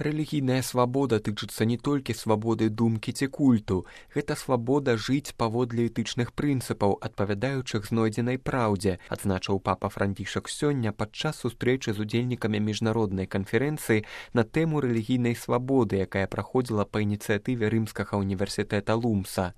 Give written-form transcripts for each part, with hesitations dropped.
Рэлігійная свабода тычыцца не толькі свабоды думкі ці культу. Гэта свабода жыць паводле этычных прынцыпаў, адпавядаючых знойдзенай праўдзе, адзначыў папа Францішак сёння падчас сустрэчы з удзельнікамі міжнароднай канферэнцыі на тэму рэлігійнай свабоды, якая праходзіла па ініцыятыве рымскага універсітэта Лумса.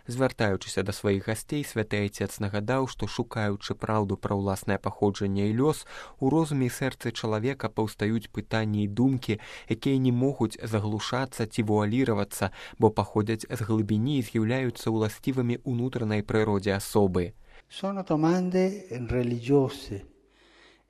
Звяртаючыся да сваіх гасцей, святы айцец нагадаў, што шукаючы праўду пра ўласнае паходжанне і лёс, у розуме і сэрцы чалавека паўстаюць пытанні і думкі, якія не могуць заглушацца ці вуаліравацца, бо паходзяць з глыбіні і з'яўляюцца ўласцівымі ўнутранай прыродзе асобы. Sono domande religiose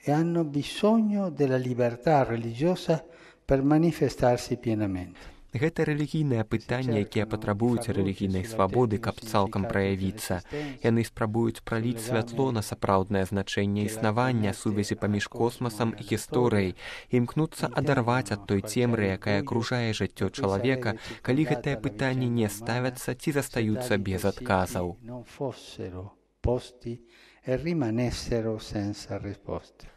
e hanno bisogno della libertà religiosa per manifestarsi pienamente. Гэта рэлігійныя пытанні, якія патрабуюць рэлігійнай свабоды, каб цалкам праявіцца. Яны спрабуюць праліць святло на сапраўднае значэнне існавання, сувязі паміж космасам і гісторыяй, імкнуцца адарваць ад той цемры, якая акружае жыццё чалавека, калі гэтыя пытанні не ставяцца ці застаюцца без адказаў.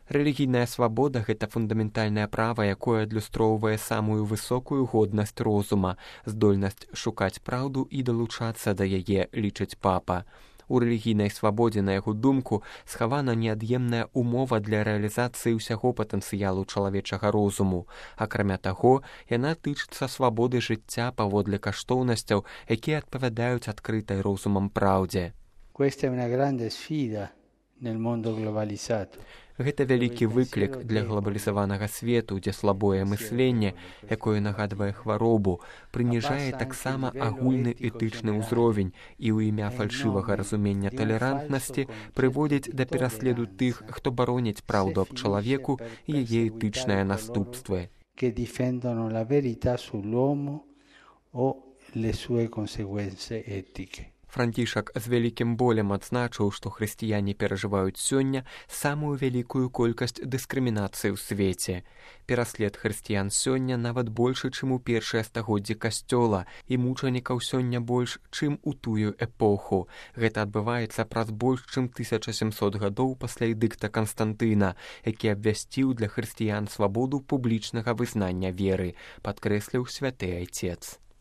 Рэлігійная свабода – гэта фундаментальнае права, якое адлюстроўвае самую высокую годнасць розума, здольнасць шукаць праўду і далучацца да яе, лічыць папа. У рэлігійнай свабодзе, на яго думку, схавана неад'емная умова для рэалізацыі ўсяго патэнцыялу чалавечага розуму. Акрамя таго, яна тычыцца свабоды жыцця паводле каштоўнасцяў, якія адпавядаюць адкрытай розумам праўдзе. Questa è una grande sfida nel mondo globalizzato. Гэта вялікі выклік для глобалізаванага свету, дзе слабое мысленне, якое нагадвае хваробу, прыніжае таксама агульны этычны ўзровень і ў імя фальшывага разумення талерантнасці прыводзіць да пераследу тых, хто бароніць праўду аб чалавеку і яе этычныя наступствы. Que difendono la verità sull'uomo o le sue conseguenze etiche. Францішак з вялікім болем адзначыў, што хрысціяне перажываюць сёння самую вялікую колькасць дыскрымінацыі ў свеце. Пераслед хрысціян сёння нават большы, чым у першыя стагоддзі касцёла, і мучанікаў сёння больш, чым у тую эпоху. Гэта адбываецца праз больш, чым 1700 гадоў пасля эдыкта Канстантына, які абвясціў для хрысціян свабоду публічнага вызнання веры, падкрэсліў святы айцец.